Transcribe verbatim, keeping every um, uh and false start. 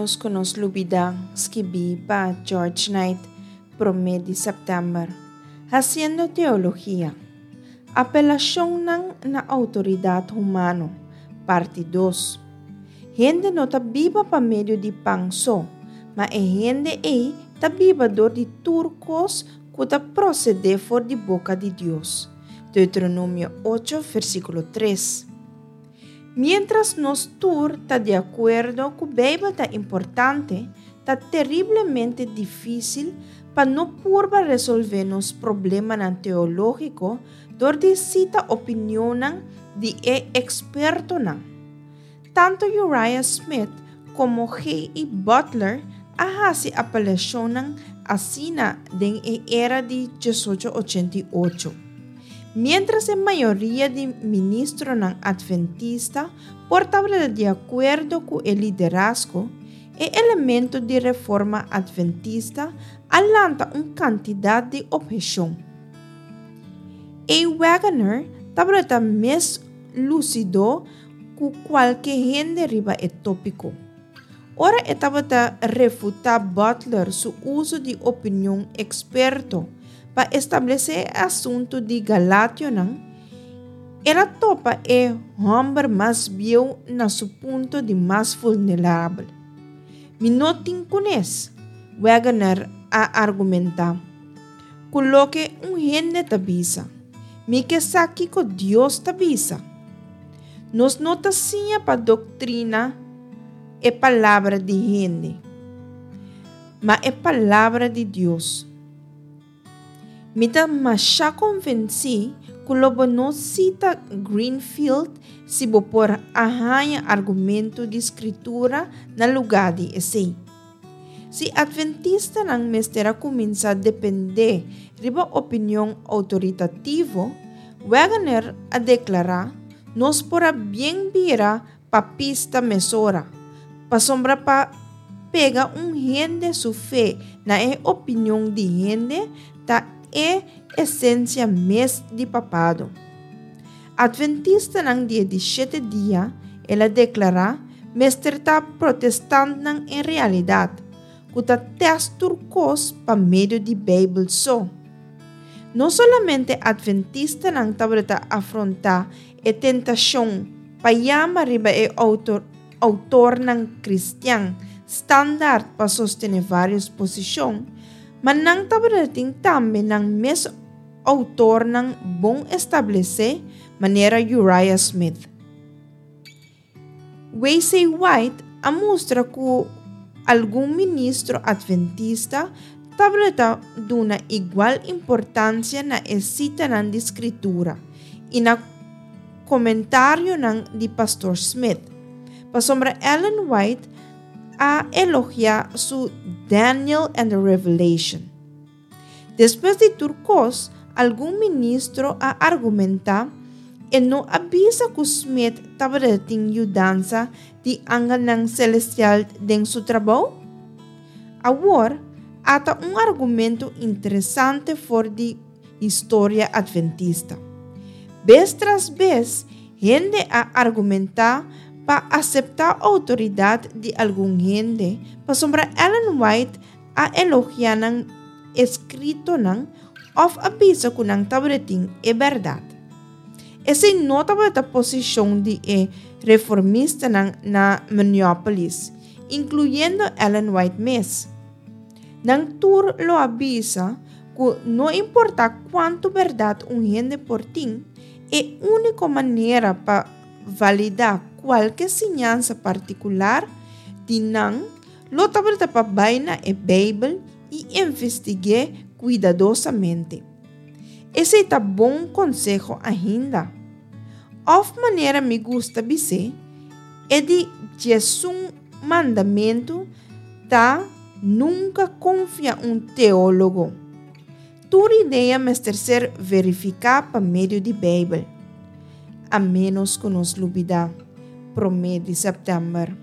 Ménos ku nos lubidá, skibí pa George Knight, promé di sèptèmber. Hasiendo Teologia. Apelashonnan na Outoridat Humano, parti dos. Hende no ta biba pa medio di pan so, ma e hende ei ta biba dor di tur kos ku ta prosedé for di boka di Dios. Deuteronomio ocho, versíkulo tres. Miéntras nos tur ta di akuerdo ku Beibel ta importante, ta teriblemente difísil pa no purba resolvé nos problemanan teológiko dor di sita opinionnan di e ekspertonan. Tantu Uriah Smith komo G. E. Butler a hasi apelashonnan asina den e era di diesocho ochenta i ocho. Miéntras e mayoria di ministronan adventista por tabata di akuerdo ku e liderazgo, e elemento di reforma adventista a lanta un kantidat di opheshon. A. Waggoner tabata mes lusido ku kualke hende riba e tópiko. Ora e tabata refutá Butler su uso di opinion eksperto pa establesé e asuntu di Galationan, el a topa e hòmber mas bieu na su punto di mas vulnerabel. Mi no tin kunes, Waggoner a argumentá, ku loke un hende ta bisa. Mi ke sa kiko Dios ta bisa. Nos no ta siña pa doktrina e palabra di hende, ma e palabra di Dios. Mi ta masha konvensí ku lo bo no sita Greenfield si bo por a haña argumento di Skritura na lugá di esei. Si adventistanan mester a kuminsá dependé riba opinion outoritativo, Waggoner a deklará, nos por a bien bira papista mesora, pasobra pa pega un hende su fe na e opinion di hende ta e esensia mes di papado. Adventistanan di e di shete dia, el a deklará, mester ta protestantnan en realidat, ku ta tèst tur kos pa medio di Beibel so. No solamente adventistanan tabata afrontá e tentashon pa yama riba e outor, outornan kristian standaard pa sostené vários posishon, ma nan tabatin tambe nan mes outornan bon establesé manera Uriah Smith. W C. White a mustra ku algun ministro adventista tabata duna igual importansia na e sitanan di Skritura i na komentarionan di Pastor Smith. Pasobra Ellen White a elogiá su Daniel and the Revelation. Despues di tur kos, algun ministro a argumentá e no a bisa ku Smith tabatin yudansa di angelnan selestial den su trabou? Awor, ata un argumento interesante for di historia adventista. Bes tras bes, hende a argumentá pa aseptá outoridat di algun hende, pasobra Ellen White a elogiá nan eskritonan òf a bisa ku nan tabatin e bèrdat. Esei no tabata posishon di e reformistanan na Minneapolis, inkluyendo Ellen White mes. Nan tur lo a bisa ku no importá kuantu bèrdat un hende por tin, e úniko manera pa validá kualke siñansa partikular di nan lo tabata pa bai na e Beibel i investig'é kuidadosamente. Esei ta bon konseho ainda. Òf manera mi gusta bis'é, e di diesun mandamentu ta nunka konfia un teólogo. Tur idea mester ser verifiká pa medio di Beibel. A ménos ku nos lubidá. Promé di sèptèmber.